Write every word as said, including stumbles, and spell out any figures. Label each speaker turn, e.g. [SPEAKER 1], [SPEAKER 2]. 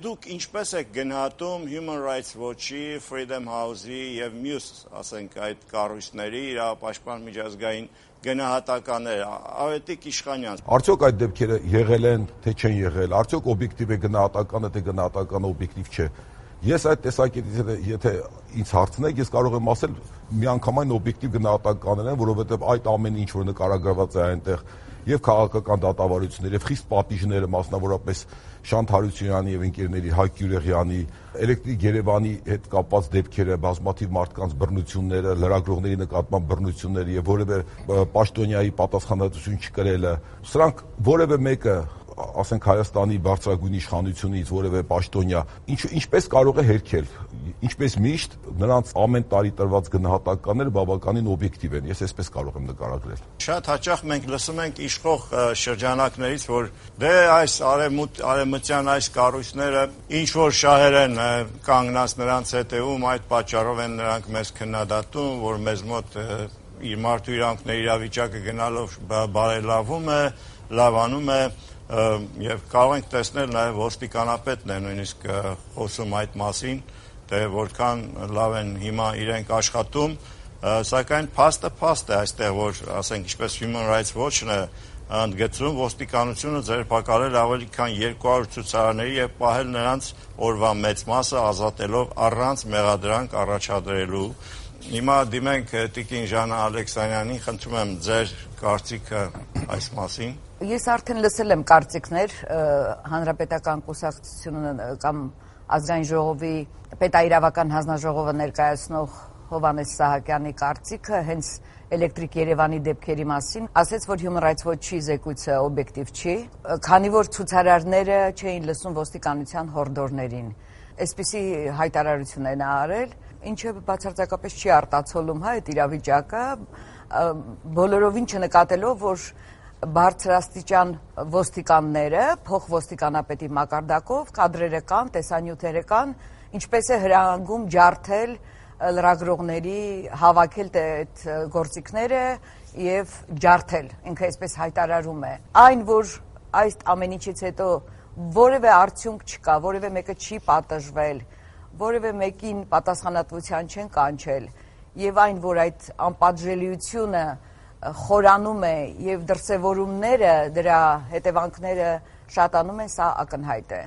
[SPEAKER 1] դուք ինչպես եք գնահատում Human Rights Watch-ի, Freedom House-ի եւ մյուս, ասենք, այդ կառույցների իրավապաշտպան միջազգային գնահատականները, Ավետիք Իշխանյան։
[SPEAKER 2] Արդյոք այդ դեպքերը եղել են, թե չեն եղել, արդյոք օբյեկտիվ է գնահատականը, թե գնահատականը օբյեկտիվ չէ։ Ես այդ տեսակետից եթե ինձ հարցնեք, ես կարող եմ ասել միանգամայն օբյեկտիվ գնահատականներ են, որովհետև այդ ամենը ինչ որ նկարագրված է այնտեղ եւ քաղաքական դատավարություններ եւ խիստ պատիժները, մասնավորապես Շանթ Հարությունյանի եւ ընկերների Հայկ Յուրեղյանի, Էլեկտրիկ Երևանի հետ կապված դեպքերը, բազմաթիվ մարդկանց բռնությունները, լրագրողների նկատմամբ բռնությունները եւ որևէ պաշտոնյայի պատասխանատվություն չկրելը, սրանք որևէ մեկը ասենք Հայաստանի բարձրագույն իշխանությունից որևէ պաշտոնյա ինչ ինչպես կարող է հերքել, ինչպես միշտ նրանց ամեն տարի տրված գնահատականները բավականին օբյեկտիվ են, ես այսպես կարող եմ նկարագրել։
[SPEAKER 1] Շատ հաճախ մենք լսում ենք իշխող շրջանակներից, որ դե այս արևմուտ արևմտյան այս կառույցները ինչ որ շահեր են կանգնած նրանց հետևում, այդ պատճառով են նրանք մեզ քննադատում, որ մեզ մոտ իր մարդու իրավունքների իրավիճակը գնալով բարելավում է, լավանում է եւ կարող ենք տեսնել նաեւ ոստիկանապետն է նույնիսկ խոսում այդ մասին, թե որքան լավ են հիմա իրենք աշխատում, սակայն փաստը փաստ է այստեղ, որ ասենք ինչպես Human Rights Watch-ն է ընդգծում, ոստիկանությունը ձերբակալել ավելի քան երկու հարյուր ցուցարարների եւ պահել նրանց օրվա մեծ մասը ազատելով առանց մեղադրանք առաջադրելու։ Հիմա դիմենք Տիկին Ժանա Ալեքսանյանին, խնդրում եմ ձեր կարծիքը այս մասին։
[SPEAKER 3] Ես արդեն լսել եմ կարծիքներ Հանրապետական կուսակցությունը կամ Ազգային ժողովի պետաիրավական հանձնաժողովը ներկայացնող Հովհաննես Սահակյանի կարծիքը հենց Էլեկտրիկ Երևանի դեպքերի մասին, ասեց, որ Human Rights Watch-ի զեկույցը օբյեկտիվ չի, քանի որ ցուցարարները չէին լսում ոստիկանության հորդորներին։ Այսպիսի հայտարարություն է նա արել, ինչը բացարձակապես չի արտացոլում հա այդ իրավիճակը, բոլորովին չնկատելով, որ բարձրաստիճան ոստիկանները փոխոստիկանապետի մակարդակով կադրերը կան, տեսանյութերը կան, ինչպես է հրահանգում ջարդել լրագրողների, հավաքել այդ գործիքները եւ ջարդել, ինքը այսպես հայտարարում է։ Այն, որ այս ամեն ինչից հետո որևէ արդյունք չկա, որևէ մեկը չի պատժվել, որևէ մեկին պատասխանատվության չեն կանչել, եւ այն, որ այդ անպատժելիությունը խորանում է եւ դրսեւորումները, դրա հետևանքները շատանում են, սա ակնհայտ է։